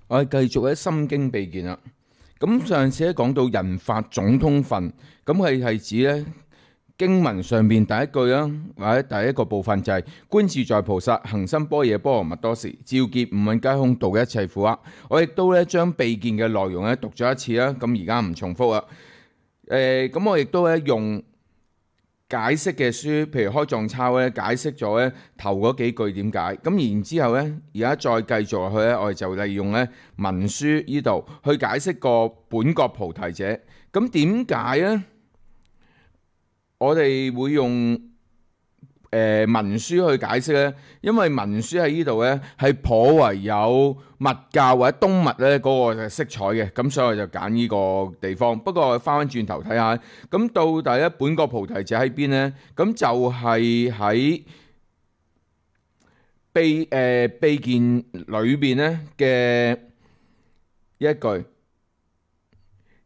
我哋繼續喺《心經秘見》啦。咁上次咧講到人法總通分，咁佢係指咧經文上邊第一句啦，或者第一個部分就係觀自在菩薩行深般若波羅蜜多時，照見五蘊皆空，度一切苦厄。我亦都咧將秘見嘅內容咧讀咗一次啦，咁而家唔重複啦。咁我亦都咧用解釋嘅書，譬如開藏抄咧，解釋咗咧頭嗰幾句點解，咁然之後咧，而家再繼續落去咧，我哋就利用咧文書呢度去解釋個本覺菩提者。咁點解咧？我哋會用文書去解釋咧，因為文書喺呢度咧係頗為有密教或者東密咧嗰個色彩嘅，咁所以我就揀呢個地方。不過我翻轉頭睇下，咁到底咧本覺菩提者喺邊咧？咁就係喺秘見裏邊咧嘅一句。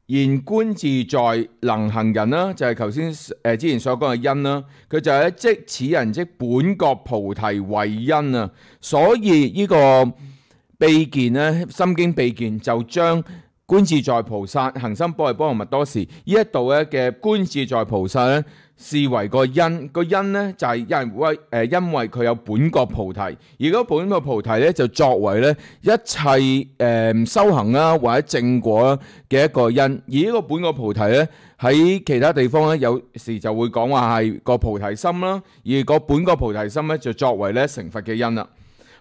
然觀自在能行人啦，就係頭先之前所講嘅因啦。佢就係即此人即本覺菩提為因啊。所以呢個秘見咧，心經秘見就將觀自在菩薩行深般若波羅蜜多時呢一度咧嘅觀自在菩薩咧視為個因。個因咧就係因為佢有本覺菩提，而嗰本覺菩提咧就作為咧一切修行啦或者正果嘅一個因。而呢個本覺菩提咧喺其他地方咧有時就會講話係個菩提心啦，而個本覺菩提心咧就作為咧成佛嘅因啦。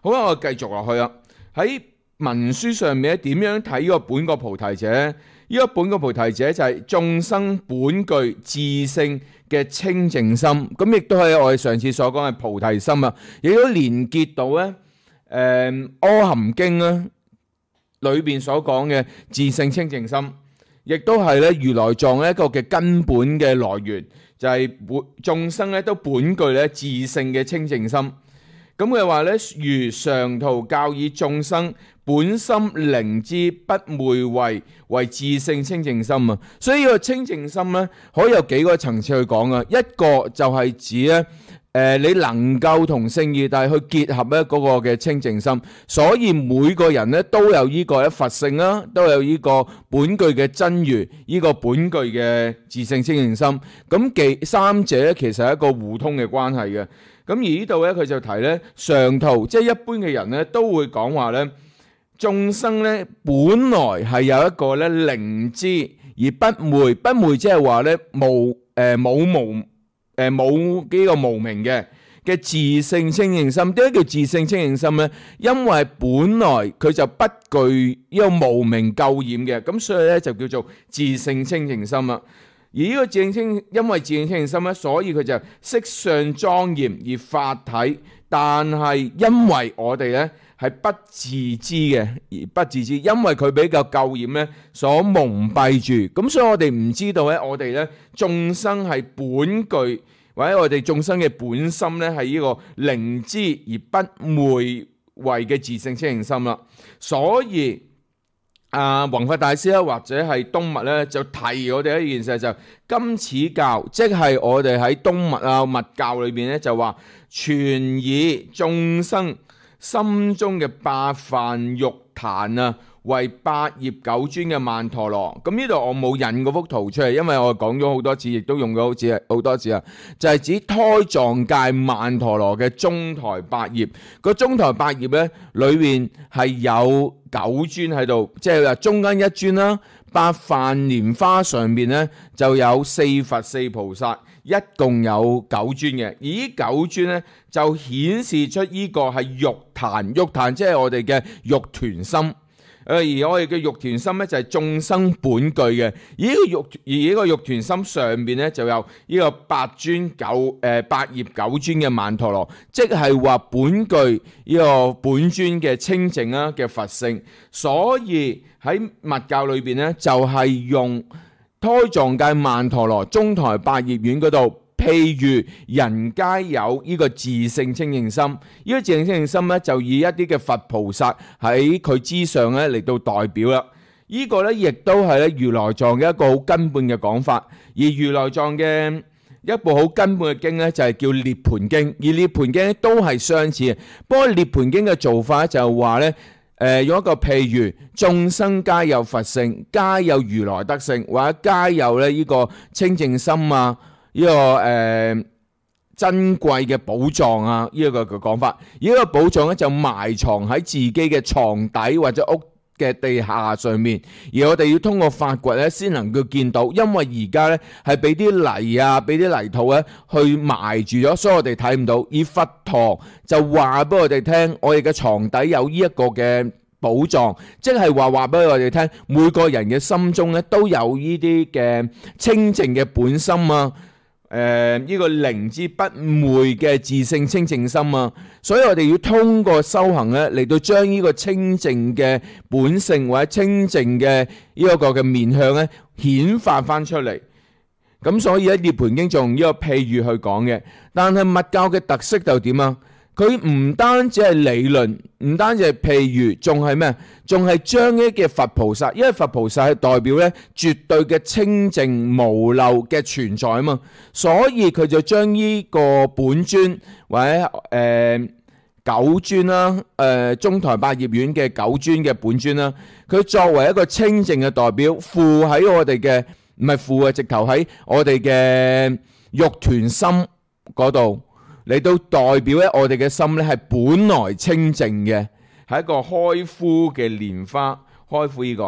好啦，我繼續落去啦。喺文書上面咧點樣睇呢個本覺菩提者呢？呢個本覺菩提者就係眾生本具自性嘅清淨心，咁亦都係我哋上次所講嘅菩提心啊，亦都連結到咧阿含經啦裏邊所講嘅自性清淨心，亦都係咧如來藏一個嘅根本嘅來源，就係眾生咧都本具咧自性嘅清淨心。咁佢話咧，如常途教以眾生本心靈知不昧為自性清淨心啊。所以呢個清淨心咧，可以有幾個層次去講啊。一個就係指咧，你能夠同聖義諦去結合咧嗰個嘅清淨心。所以每個人咧都有呢個佛性啦，都有呢個本具嘅真如，呢個本具嘅自性清淨心。咁三者咧其實係一個互通嘅關係嘅。咁而呢度咧，佢就提咧常途，即係一般嘅人咧都會講話咧，眾生咧本來係有一個咧靈知而不昧，不昧即係話咧冇呢個無明嘅自性清淨心。點解叫自性清淨心咧？因為本來佢就不具呢個無明垢染嘅，咁所以咧就叫做自性清淨心啦。而呢個因為自性清淨心咧，所以佢就色相莊嚴而法體，但係因為我哋咧係不自知嘅，而不自知，因為佢比較垢染咧所蒙蔽住，咁所以我哋唔知道咧，我哋咧眾生係本具或者我哋眾生嘅本心咧係呢個靈知而不昧為嘅自性清淨心啦，所以弘法大師咧，或者係東密咧，就提我哋一件事，就今此教，即係我哋喺東密密教裏邊咧，就話全以眾生心中嘅八梵玉壇為八葉九尊嘅曼陀羅。咁呢度我冇印嗰幅圖出嚟，因為我講咗好多次，亦都用咗好多次啊。就係指胎藏界曼陀羅嘅中台八葉。個中台八葉咧，裏面係有九尊喺度，即係話中間一尊啦。八梵蓮花上面咧就有四佛四菩薩，一共有九尊嘅。而呢九尊咧就顯示出呢個係玉壇，玉壇即係我哋嘅玉團心。而我哋嘅玉團心咧就係眾生本具嘅。而呢個玉團心上邊咧就有呢個八葉九尊嘅曼陀羅，即係話本具呢個本尊嘅清淨嘅佛性。所以喺密教裏邊咧就係用胎藏界曼陀羅中台八葉院嗰度。譬如人皆有呢個自性清淨心，呢個自性清淨心咧就以一啲嘅佛菩薩喺佢之上咧嚟到代表啦。呢個咧亦都係咧如來藏嘅一個好根本嘅講法。而如來藏嘅一部好根本嘅經咧就係叫涅槃經，而涅槃經都係相似嘅。不過涅槃經嘅做法就係話咧，用一個譬如，眾生皆有佛性，皆有如來德性，或者皆有咧呢個清淨心啊，呢、個珍貴嘅寶藏啊，呢一個嘅講法。而呢個寶藏咧就埋藏喺自己嘅床底或者屋嘅地下上面，而我哋要通過發掘咧先能夠見到，因為而家咧係俾啲泥啊，俾啲泥土咧去埋住咗，所以我哋睇唔到。而佛陀就話俾我哋聽，我哋嘅床底有呢一個嘅寶藏，即係話俾我哋聽，每個人嘅心中咧都有呢啲嘅清淨嘅本心啊。呢個靈之不昧嘅自性清淨心啊，所以我哋要通過修行咧嚟到將呢個清淨嘅本性或者清淨嘅呢一個嘅面向咧顯發翻出嚟。咁所以咧《涅槃經》就用呢個譬喻去講嘅，但係密教嘅特色就點啊？佢唔單止係理論，唔單止係譬喻，仲係咩？仲係將呢嘅佛菩薩，因為佛菩薩係代表咧絕對嘅清淨無漏嘅存在啊嘛，所以佢就將呢個本尊或者九尊啦，中台八葉院嘅九尊嘅本尊啦，佢作為一個清淨嘅代表，附喺我哋嘅，唔係附啊，直頭喺我哋嘅肉團心嗰度。嚟到代表咧，我哋嘅心咧係本來清淨嘅，係一個開敷嘅蓮花，開敷呢個，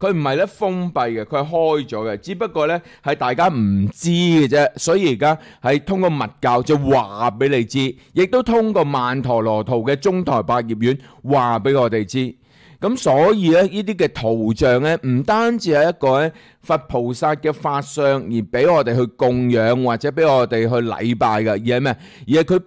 佢唔係咧封閉嘅，佢係開咗嘅，只不過咧係大家唔知嘅啫，所以而家係通過密教就話俾你知，亦都通過曼陀羅圖嘅中台八葉院話俾我哋知。咁所以咧，呢啲嘅圖像咧，唔單止係一個咧佛菩薩嘅法相，而俾我哋去供養或者俾我哋去禮拜嘅，而係咩？而係佢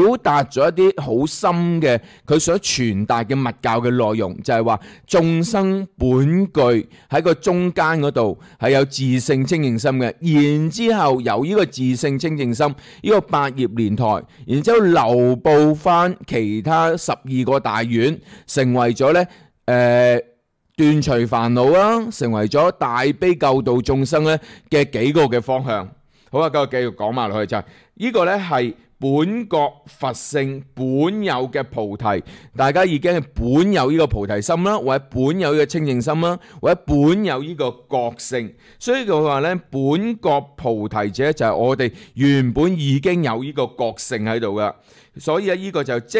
表達咗一啲好深嘅佢想傳達嘅密教嘅內容，就係話眾生本具喺個中間嗰度係有自性清淨心嘅，然之後由呢個自性清淨心呢個八葉蓮台，然之後流布翻其他12個大院，成為咗咧。斷除煩惱啦，成為咗大悲救度眾生咧嘅幾個嘅方向。好啊，繼續講埋落去就係呢個咧係本覺佛性本有嘅菩提，大家已經係本有呢個菩提心啦，或者本有呢個清淨心啦，或者本有呢個覺性。所以佢話咧，本覺菩提者就係我哋原本已經有呢個覺性喺度噶。所以呢個就即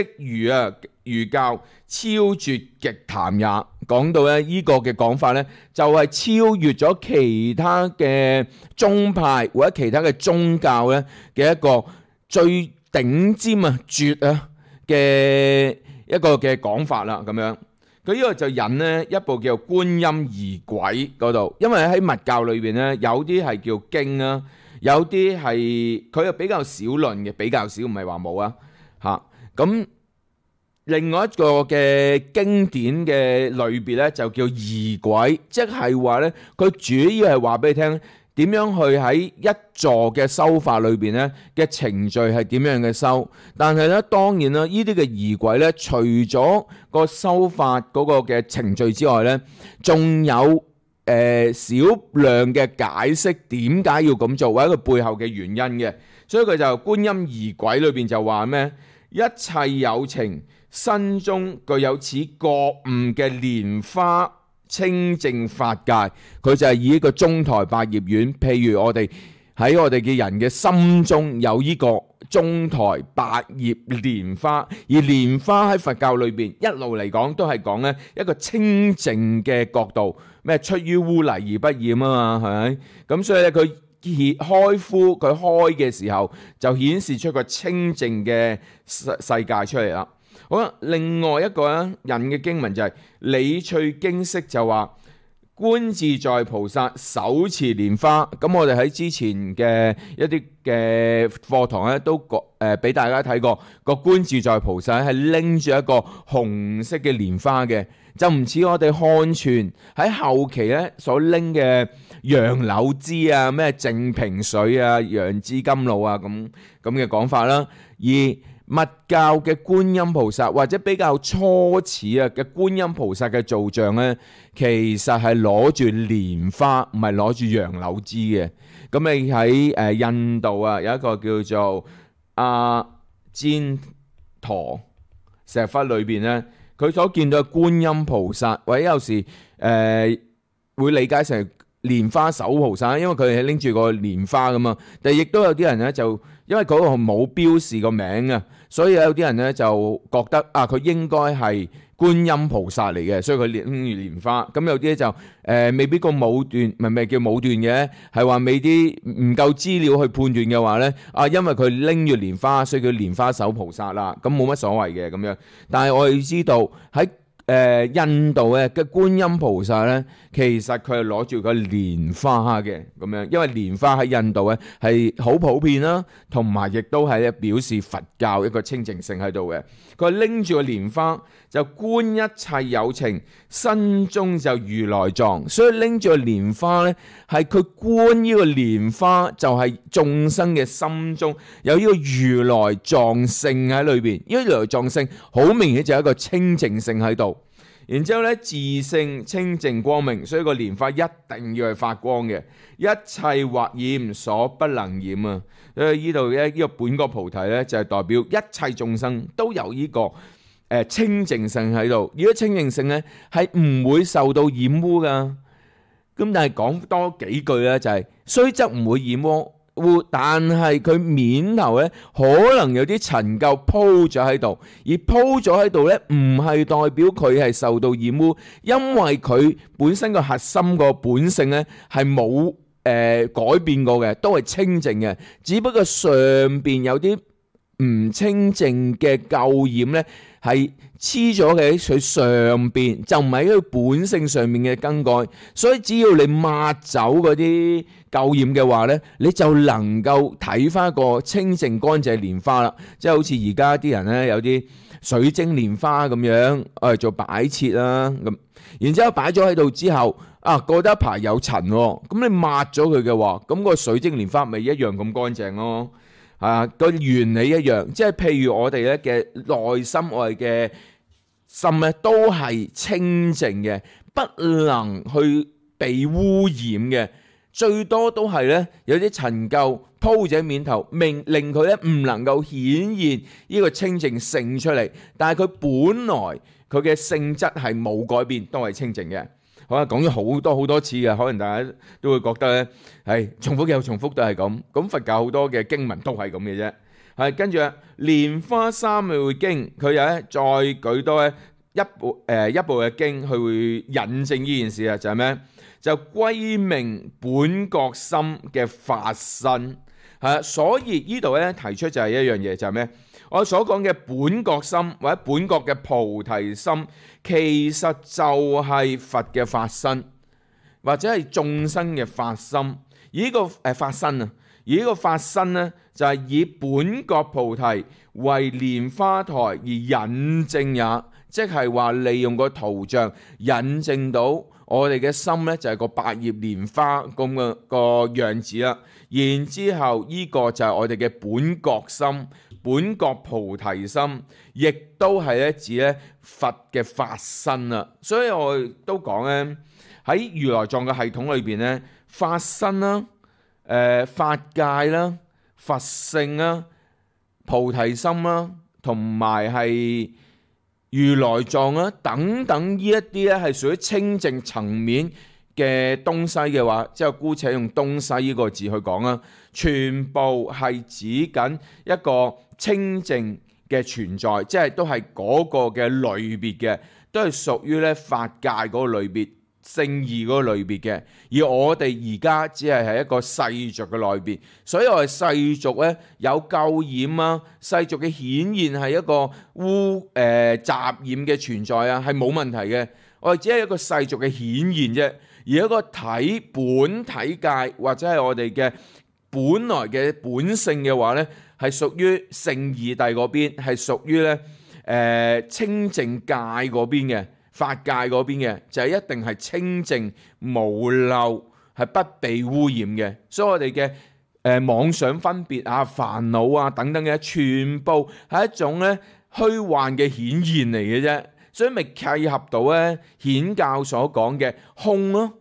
如教超絕極談也。講到咧呢個嘅講法咧，就係超越咗其他嘅宗派或者其他嘅宗教咧嘅一個最頂尖絕嘅一個嘅講法啦。咁樣佢呢個就引呢一部叫做《觀音儀軌》嗰度，因為喺密教裏邊咧有啲係叫經啊，有啲係佢又比較少論嘅，比較少，唔係話冇啊。咁另外一個嘅經典嘅類別咧就叫儀軌，即係話咧佢主要係話俾你聽點樣去喺一座嘅修法裏邊咧嘅程序係點樣嘅修。但係咧當然啦，呢啲嘅儀軌咧除咗個修法嗰個嘅程序之外咧，仲有少量嘅解釋點解要咁做，或者佢背後嘅原因嘅。所以佢就觀音儀軌裏邊就話咩？一切有情身中具有此覺悟嘅蓮花清淨法界，佢就係以一個中台八葉院，譬如我哋喺我哋嘅人嘅心中有呢個中台八葉蓮花，而蓮花喺佛教裏邊一路嚟講都係講咧一個清淨嘅角度，咩出於污泥而不染啊嘛，係咪？咁所以咧佢開敷佢開嘅時候就顯示出個清淨嘅世界出嚟啦。好啦，另外一個引嘅經文就係理趣經釋就話觀自在菩薩手持蓮花。咁我哋喺之前嘅一啲嘅課堂咧都俾大家睇過，個觀自在菩薩係拎住一個紅色嘅蓮花嘅，就唔似我哋漢傳喺後期咧所拎嘅楊柳枝啊、咩淨瓶水啊、楊枝甘露啊咁嘅講法啦。而密教嘅觀音菩薩或者比較初始嘅觀音菩薩嘅造像咧，其實係攞住蓮花，唔係攞住楊柳枝嘅。咁你喺印度有一個叫做阿旃陀石窟裏邊咧，佢所見到嘅觀音菩薩，或者有時會理解成蓮花手菩薩，因為佢係拎住個蓮花噶嘛。但係亦都有啲人咧就因為嗰個冇標示個名啊，所以有啲人咧就覺得佢應該係觀音菩薩嚟嘅，所以佢拎住蓮花。咁有啲就未必個武斷，唔係叫武斷嘅，係話未啲唔夠資料去判斷嘅話咧，因為佢拎住蓮花，所以叫蓮花手菩薩啦。咁冇乜所謂嘅咁樣。但係我哋知道喺印度嘅觀音菩薩咧，其實佢係攞住個蓮花嘅咁樣，因為蓮花喺印度咧係好普遍啦，同埋亦都係咧表示佛教一個清淨性喺度嘅。佢拎住個蓮花就觀一切有情，身中就如來藏，所以拎住個蓮花咧係佢觀呢個蓮花就係眾生嘅心中有呢個如來藏性喺裏邊，呢個如來藏性好明顯就係一個清淨性喺度。然之後咧，自性清淨光明，所以個蓮花一定要係發光嘅，一切或染所不能染啊！所以呢度咧，呢個本覺菩提咧就係代表一切眾生都有呢個清淨性喺度。如果清淨性咧係唔會受到染污噶。咁但係講多幾句咧，就係雖則唔會染污，但係佢面頭咧可能有啲塵垢鋪咗喺度，而鋪咗喺度咧唔係代表佢係受到染污，因為佢本身個核心個本性咧係冇改變過嘅，都係清淨嘅，只不過上邊有啲唔清淨嘅垢染咧係黐咗嘅喺佢上邊，就唔係喺佢本性上面嘅更改。所以只要你抹走嗰啲垢染嘅話咧，你就能夠睇翻一個清淨乾淨蓮花啦。即係好似而家啲人咧有啲水晶蓮花咁樣，我哋做擺設啦咁。然之後擺咗喺度之後，過得一排有塵喎，咁你抹咗佢嘅話，咁個水晶蓮花咪一樣咁乾淨咯。個原理一樣，即係譬如我哋咧嘅內心，我哋嘅心咧都係清淨嘅，不能去被污染嘅，最多都係咧有啲塵垢鋪喺面頭，令佢咧唔能夠顯現呢個清淨性出嚟，但係佢本來佢嘅性質係冇改變，都係清淨嘅。好啦，講咗好多次嘅，可能大家都會覺得咧係重複又重複都係咁。咁佛教好多嘅經文都係咁嘅啫。係跟住《蓮花三昧經》，佢又咧再舉多一部嘅經去會引證呢件事啊，就係咩？就歸命本覺心嘅法身。所以呢度咧提出就係一樣嘢，就係咩？我所講嘅本覺心或者本覺嘅菩提心，其實就係佛嘅法身，或者係眾生嘅法心。而呢個法身啊，而呢個法身呢，就係以本覺菩提為蓮花台而引證也，即係話利用個圖像引證到我哋嘅心呢，就係個百葉蓮花咁嘅個樣子啦。然之後呢個就係我哋嘅本覺心。本覺菩提心，亦都係咧指咧佛嘅法身啦。所以我都講咧喺如來藏嘅系統裏邊咧，法身啦、法界啦、佛性啦、菩提心啦，同埋係如來藏啦等等呢一啲咧係屬於清淨層面嘅東西嘅話，即係姑且用東西呢個字去講啦，全部係指緊一個清淨嘅存在，即係都係嗰個嘅類別嘅，都係屬於咧法界嗰個類別、聖義嗰個類別嘅。而我哋而家只係一個世俗嘅類別，所以我哋世俗咧有垢染啊，世俗嘅顯現係一個雜染嘅存在啊，係冇問題嘅。我哋只係一個世俗嘅顯現啫。而一個本體界或者係我哋嘅本來嘅本性嘅話呢，係屬於聖義諦嗰邊，係屬於咧清淨界嗰邊嘅，法界嗰邊嘅，就係一定係清淨無漏，係不被污染嘅。所以我哋嘅妄想分別啊、煩惱啊等等嘅，全部係一種咧虛幻嘅顯現嚟嘅啫。所以咪契合到咧顯教所講嘅空咯，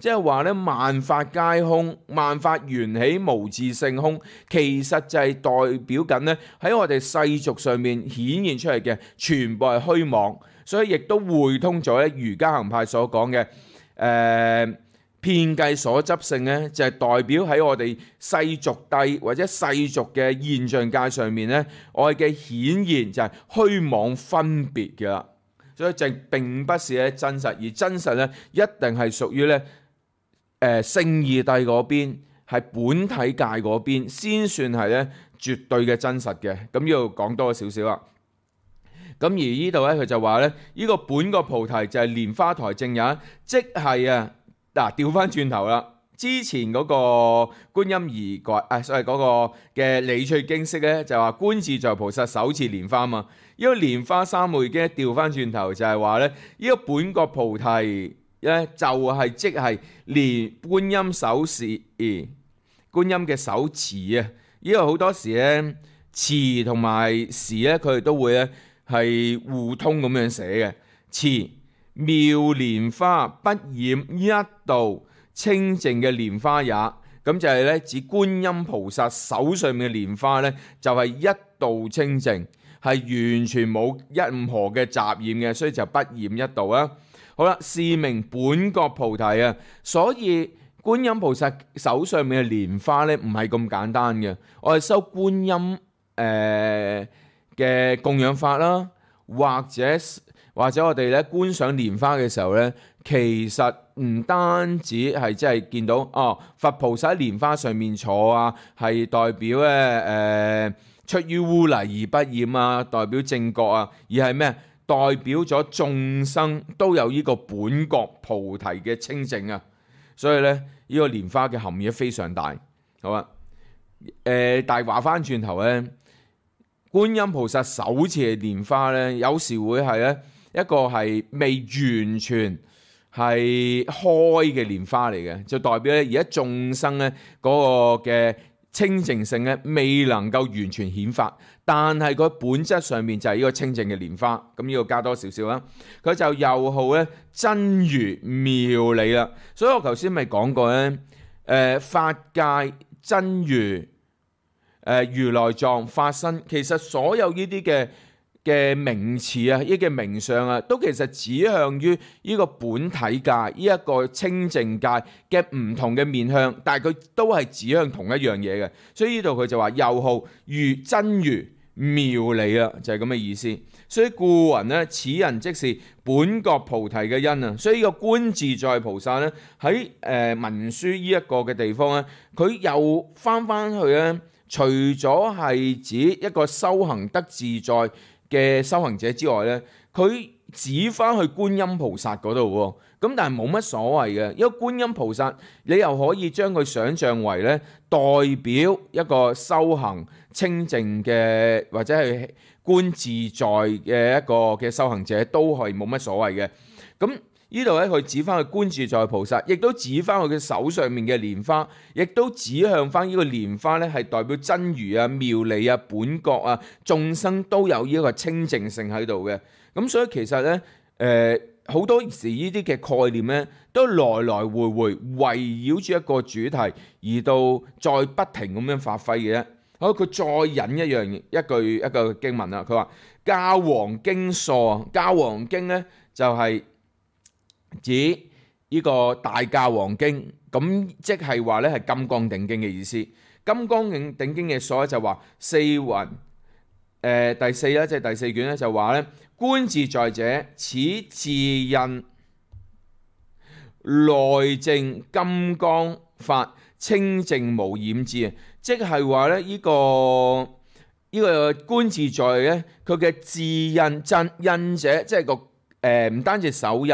即係話咧萬法皆空，萬法緣起無自性空，其實就係代表緊咧喺我哋世俗上面顯現出嚟嘅全部係虛妄。所以亦都會通咗咧瑜伽行派所講嘅遍計所執性咧，就係代表喺我哋世俗諦或者世俗嘅現象界上面咧，我哋嘅顯現就係虛妄分別嘅啦。所以就並不是咧真實，而真實咧一定係屬於咧聖義諦嗰邊，係本體界嗰邊先算係咧絕對嘅真實嘅。咁要講多少少啦。咁而呢度咧佢就話咧，呢個本覺菩提就係蓮花台正也，即係調翻轉頭啦。之前嗰個觀音儀軌所謂嗰個嘅理趣經釋咧，就話觀自在菩薩手持蓮花嘛。呢個蓮花三昧經調翻轉頭就係話咧，呢個本覺菩提咧就係即係連觀音手持觀音嘅手持啊。呢個好多時咧持同埋時咧，佢哋都會咧係互通咁樣寫嘅。持妙蓮花不染一道清淨嘅蓮花也，咁就係咧指觀音菩薩手上面嘅蓮花咧，就係一道清淨，係完全冇任何嘅雜染嘅，所以就不染一道啦。好啦，是名本覺菩提啊。所以觀音菩薩手上面嘅蓮花咧，唔係咁簡單嘅。我哋修觀音嘅供養法啦，或者我哋咧觀賞蓮花嘅時候咧，其實唔單止係即係見到佛菩薩喺蓮花上面坐啊，係代表咧出於污泥而不染啊，代表正覺啊，而係咩？代表咗眾生都有呢個本覺菩提嘅清淨啊。所以咧呢個蓮花嘅含義非常大，好啊。但係話翻轉頭咧，觀音菩薩手持嘅蓮花咧，有時會係咧一個係未完全係開嘅蓮花嚟嘅，就代表咧而家眾生咧嗰個嘅清淨性咧未能夠完全顯發，但係佢本質上面就係呢個清淨嘅蓮花。咁呢個加多少少啦，佢就又號咧真如妙理啦。所以我頭先咪講過咧，法界真如、如來藏、法身，其實所有呢啲嘅名詞啊，呢嘅名相啊，都其實指向於呢個本體界，呢一個清淨界嘅唔同嘅面向，但係佢都係指向同一樣嘢嘅。所以呢度佢就話又號如真如妙理啦，就係咁嘅意思。所以故云呢，此人即是本覺菩提嘅因啊。所以呢個觀自在菩薩咧喺文書呢一個嘅地方咧，佢又翻去咧，除咗係指一個修行得自在嘅修行者之外咧，佢指翻去觀音菩薩嗰度喎。咁但係冇乜所謂嘅，因為觀音菩薩你又可以將佢想像為咧代表一個修行清淨嘅或者係觀自在嘅一個嘅修行者，都係冇乜所謂嘅。咁呢度咧佢指翻去觀自在菩薩，亦都指翻佢嘅手上面嘅蓮花，亦都指向翻呢個蓮花咧係代表真如啊、妙理啊、本覺啊，眾生都有呢一個清淨性喺度嘅。咁所以其實咧好多時呢啲嘅概念咧，都來來回回圍繞住一個主題，而到再不停咁樣發揮嘅啫。好，佢再引一個經文啦。佢話教王經疏，教王經咧就係指呢個大教王經，咁即係話咧係金剛頂經嘅意思。金剛頂經嘅疏就話四雲第四咧，即係第四卷咧就話咧，觀自在者，此自印內證金剛法，清淨無染智。即係話咧呢個觀自在咧，佢嘅自印者，即係個唔單止手印，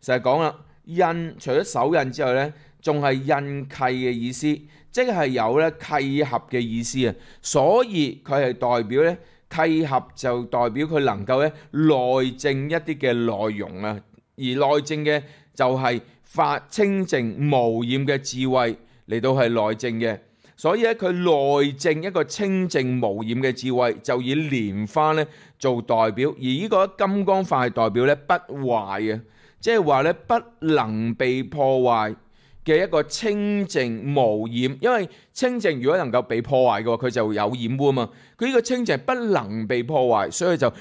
成日講啦，印除咗手印之外咧，仲係印契嘅意思，即係有咧契合嘅意思啊。所以佢係代表咧契合，就代表佢能夠咧內證一啲嘅內容啊。而內證嘅就係法清淨無染嘅智慧嚟到係內證嘅。所以咧佢內證一個清淨無染嘅智慧，就以蓮花咧做代表，而呢個金剛法係代表咧不壞嘅，即係話咧不能被破壞嘅一個清淨無染。因為清淨如果能夠被破壞嘅話，佢就有染污啊嘛。佢呢個清淨不能被破壞，所以就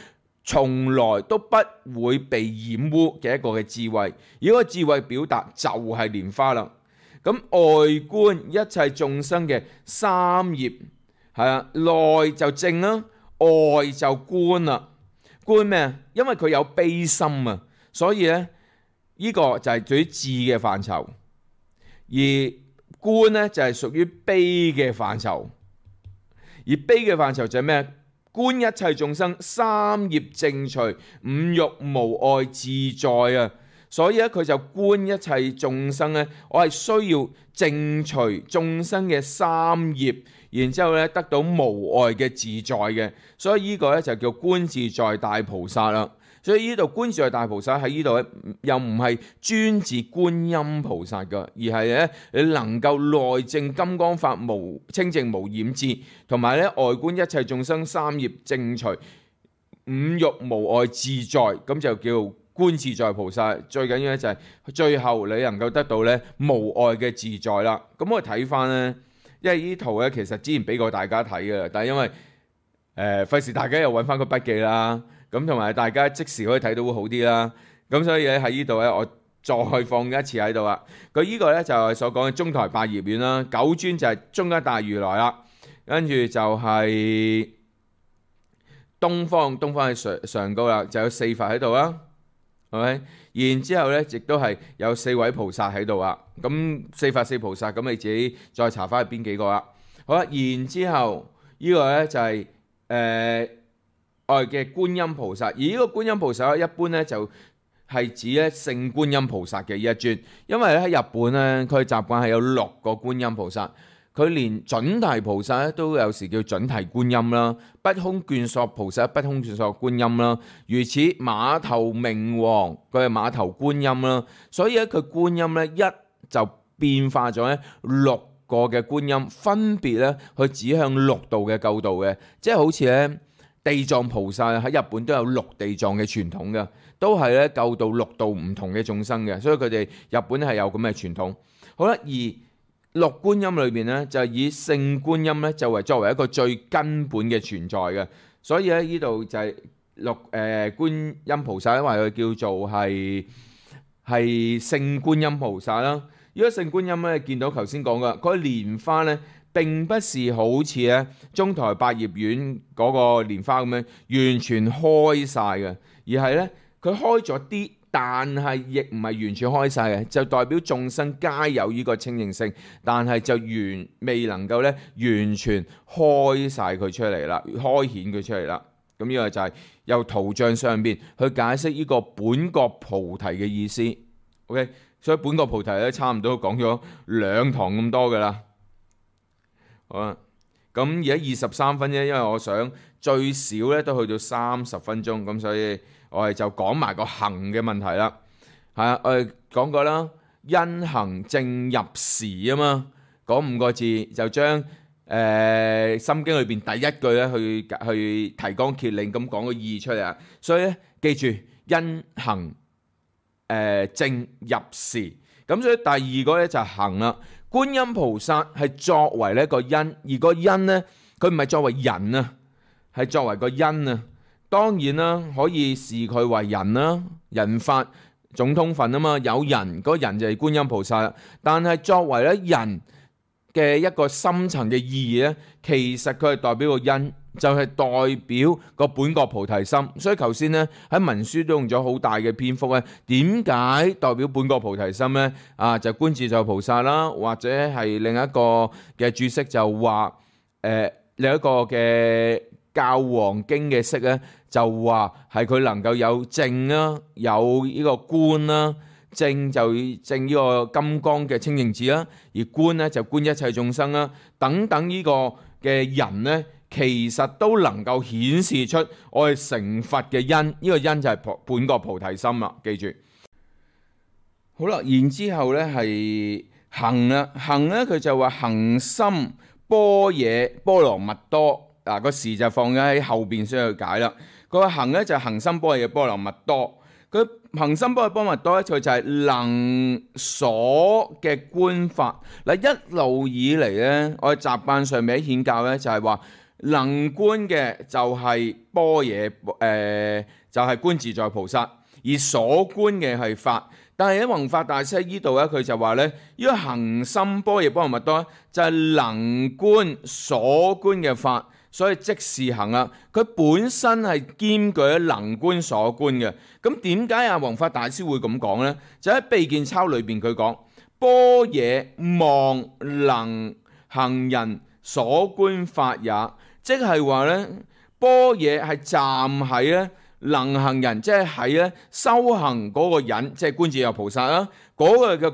從來都不會被染污嘅一個嘅智慧。而嗰個智慧表達就係蓮花啦。咁外觀一切眾生嘅三業係啊，內就正啦，外就觀啦。觀咩啊？因為佢有悲心啊，所以咧呢個就係屬於智嘅範疇，而觀咧就係屬於悲嘅範疇。而悲嘅範疇就係咩？觀一切眾生三業正除，五欲無礙自在啊！所以咧佢就觀一切眾生咧，我係需要正除眾生嘅三業，然之後咧得到無礙嘅自在嘅。所以呢個咧就叫觀自在大菩薩啦。所以呢度觀自在大菩薩喺呢度咧，又唔係專指觀音菩薩噶，而係咧你能夠內證金剛法無清淨無染智，同埋咧外觀一切眾生三業正除，五欲無礙自在，咁就叫觀自在菩薩。最緊要咧就係最後你能夠得到咧無礙嘅自在啦。咁我睇翻咧，因為呢圖咧其實之前俾過大家睇嘅，但係因為費事大家又揾翻個筆記啦。咁同埋大家即時可以睇到會好啲啦，咁所以咧喺呢度咧，我再放一次喺度啦。佢呢個咧就係所講嘅中台百葉院啦，九尊就係中間大如來啦，跟住就係東方係上高啦，就有四佛喺度啦，係咪？然之後咧，亦都係有四位菩薩喺度啊。咁四佛四菩薩，咁你自己再查翻係邊幾個啦。好啦，然之後呢個咧就係外嘅觀音菩薩，而呢個觀音菩薩一般咧就係指咧聖觀音菩薩嘅一尊，因為咧喺日本咧佢習慣係有6個觀音菩薩，佢連準提菩薩咧都有時叫準提觀音啦，不空眷索菩薩不空眷索觀音啦，如此馬頭明王佢係馬頭觀音啦，所以咧佢觀音咧一就變化咗咧6個嘅觀音，分別咧去指向6度嘅救度嘅，即係好似咧。地藏菩薩喺日本都有6地藏嘅傳統嘅，都係咧救到6度唔同嘅眾生嘅，所以佢哋日本係有咁嘅傳統。好啦，而6觀音裏邊咧就係以聖觀音咧就為作為一個最根本嘅存在嘅，所以咧呢度就係觀音菩薩，因為佢叫做係聖觀音菩薩啦。如果聖觀音咧見到頭先講嘅嗰個蓮花咧。並不是好似咧中台百葉院嗰個蓮花咁樣完全開晒嘅，而係咧佢開咗啲，但係亦唔係完全開晒嘅，就代表眾生皆有呢個清淨性，但係就未能夠咧完全開晒佢出嚟啦，開顯佢出嚟啦。咁呢個就係由圖像上邊去解釋呢個本覺菩提嘅意思。OK， 所以本覺菩提咧差唔多講咗2堂咁多噶啦。好啦，咁而家23分啫，因為我想最少咧都去到30分鐘，咁所以我哋就講埋個行嘅問題啦。係啊，我哋講過啦，因行正入時啊嘛，嗰5個字就將心經裏邊第一句咧去提綱挈領咁講個意出嚟啊。所以咧記住因行正入時，咁所以第二個咧就係行啦。觀音菩薩係作為呢一個因，而個因呢，佢唔係作為人啊，係作為個因啊。當然啦，可以視佢為人啦，人法總通分啊嘛，有人，嗰個人就係觀音菩薩。但係作為咧人嘅一個深層嘅意義咧，其實佢係代表個因，就係代表個本覺菩提心。所以頭先咧喺文書都用咗好大嘅篇幅咧，點解代表本覺菩提心咧？啊，就觀自在菩薩啦，或者係另一個嘅注釋就話另一個嘅教皇經嘅釋咧，就話係佢能夠有正啦，有呢個觀啦。正就正呢個金剛嘅清淨智啦，而觀咧就觀一切眾生啦，等等呢個嘅人咧，其實都能夠顯示出我哋成佛嘅因，呢個因就係本覺菩提心啦，記住。好啦，然之後咧係行啦，行咧佢就話行深般若波羅蜜多，嗱個時就放咗喺後邊先去解啦。佢話行咧就係行深般若波羅蜜多。佢行深般若波羅蜜多咧，佢就係能所嘅觀法。嗱，一路以嚟咧，我哋習慣上面喺顯教咧就係話能觀嘅就係般若就係觀自在菩薩，而所觀嘅係法。但係喺弘法大師喺呢度咧，佢就話咧，呢個行深般若波羅蜜多就係能觀所觀嘅法，所以即是行啦。佢本身係兼具能觀所觀嘅。咁點解阿弘法大師會咁講呢？就喺秘見鈔裏邊佢講，般若望能行人所觀法也，即係話咧，般若係站喺咧能行人，即係喺咧修行嗰個人，即係觀自在菩薩啦，嗰個嘅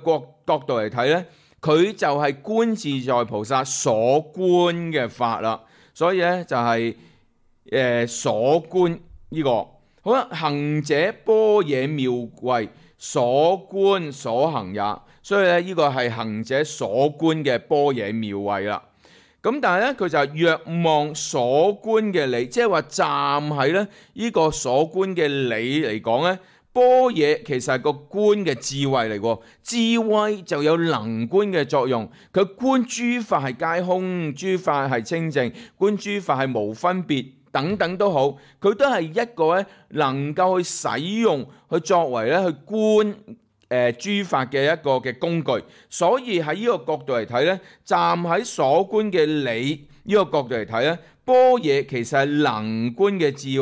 角度嚟睇咧，佢就係觀自在菩薩所觀嘅法啦。所以咧就係所觀呢個好啦，行者般若妙慧所觀所行也。所以咧呢個係行者所觀嘅般若妙慧啦。咁但係咧佢就係若望所觀嘅理，即係話站喺咧呢個所觀嘅理嚟講咧，般若其實係個觀嘅智慧嚟喎，智慧就有能觀嘅作用。佢觀諸法係皆空，諸法係清淨，觀諸法係無分別等等都好，佢都係一個咧能夠去使用去作為咧去觀諸法嘅一個嘅工具。所以喺呢個角度嚟睇咧，站喺所觀嘅理呢個角度嚟睇咧，般若其實係能觀嘅智，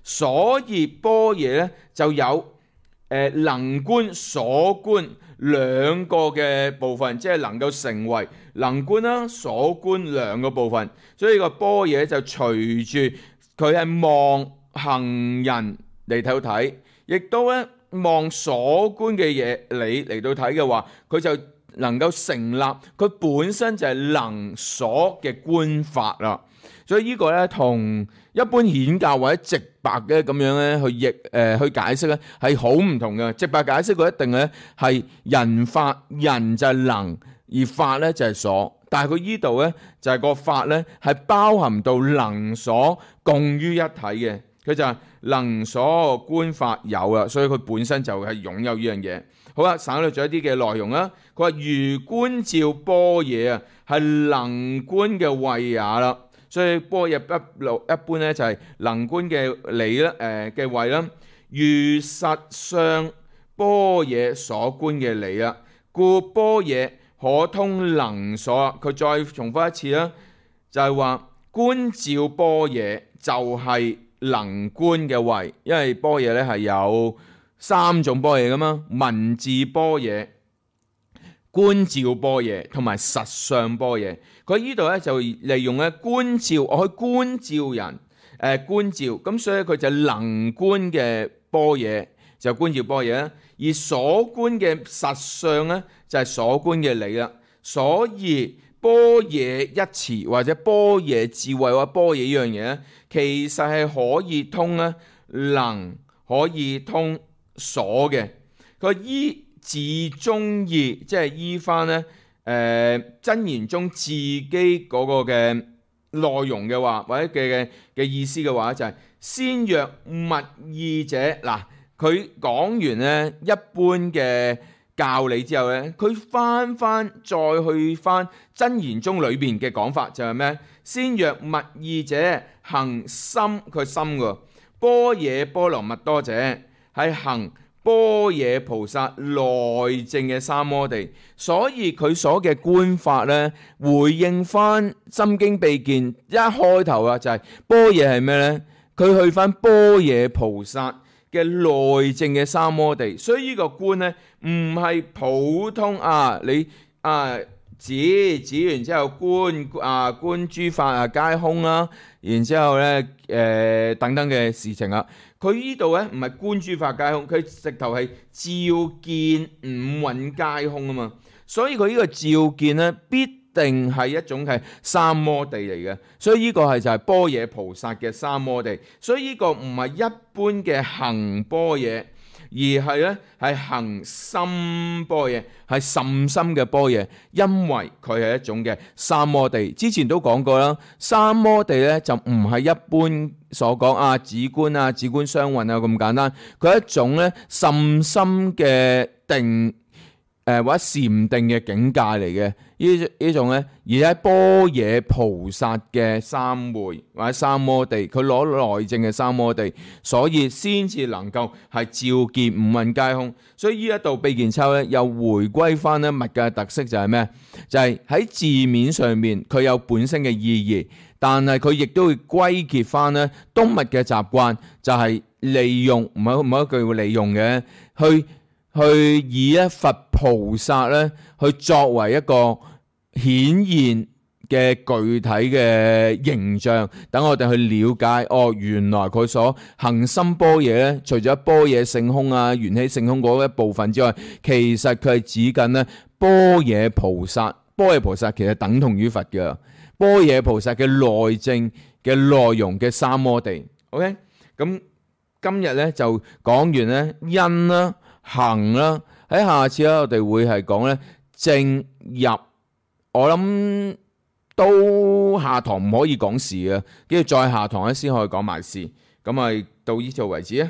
所以般若咧就有能觀所觀兩個嘅部分，即係能夠成為能觀啦、所觀兩個部分。所以個般若就隨住佢係望行人嚟睇，亦都咧望所觀嘅嘢理嚟到睇嘅話，佢就能夠成立佢本身就係能所嘅觀法啦。所以呢個咧同一般顯教或者直白嘅咁樣咧去解釋咧係好唔同嘅。直白解釋佢一定咧係人法，人就係能，而法咧就係所。但係佢呢度咧就係個法咧係包含到能所共於一體嘅，佢就係能所觀法有啦，所以佢本身就係擁有呢樣嘢。好啦，省略咗一啲嘅內容啦。佢話如觀照般若啊，係能觀嘅慧也啦。所以般若一般咧就係能觀嘅理啦，嘅慧啦。如實相般若所觀嘅理啦，故般若可通能所。佢再重複一次啦，就係話觀照般若就係能觀嘅慧，因為般若咧係有三種般若噶嘛，文字般若、觀照般若同埋實相般若。佢呢度咧就利用咧觀照，我去觀照人，觀照，咁所以佢就能觀嘅般若就觀照般若啦，而所觀嘅實相咧就係所觀嘅理啦。所以般若一詞或者般若智慧或者般若呢樣嘢咧，其實係可以通咧能，可以通所嘅。佢依自中意，即係依翻咧真言中自己嗰個嘅內容嘅話，或者嘅意思嘅話，就係先若密意者。嗱，佢講完咧一般嘅教理之後咧，佢再去翻真言中裏邊嘅講法，就係咩？先若密意者行深，佢深嘅般若波羅蜜多者係行般若菩薩內證嘅三摩地。所以佢所嘅觀法咧，回應翻心經秘見一開頭啊，就係般若係咩咧？佢去翻般若菩薩嘅內證嘅三摩地。所以呢個觀咧唔係普通你指完之後觀諸法皆空啦，然之後咧等等嘅事情啊。佢呢度咧唔係觀諸法皆空，佢直頭係照見五蘊皆空啊嘛。所以佢呢個照見咧必定係一種係三摩地嚟嘅。所以呢個係就係般若菩薩嘅三摩地。所以呢個唔係一般嘅行般若，而係咧係行深般若，係甚深嘅般若，因為佢係一種嘅三摩地。之前都講過啦，三摩地咧就唔係一般所講止觀止觀雙運咁簡單，佢係一種咧甚深嘅定或者禪定嘅境界嚟嘅，呢種咧，而喺般若菩薩嘅三昧或者三摩地，佢攞內證嘅三摩地，所以先至能夠係照見五蘊皆空。所以呢一度秘鍵抽咧，又回歸翻咧密嘅特色就係咩？就係喺字面上面佢有本身嘅意義，但係佢亦都會歸結翻咧東密嘅習慣，就係利用唔係一句會利用嘅，去以佛菩薩咧去作為一個顯現嘅具體嘅形象，等我哋去了解原來佢所行深般若咧，除咗般若性空啊、緣起性空嗰一部分之外，其實佢係指緊咧般若菩薩。般若菩薩其實等同於佛嘅，般若菩薩嘅內證嘅內容嘅三摩地。OK， 咁今日咧就講完咧因啦、行啦，喺下次咧我哋會係講咧正入，我諗都下堂唔可以講事嘅，跟住再下堂咧先可以講埋事。咁啊到呢度為止啊。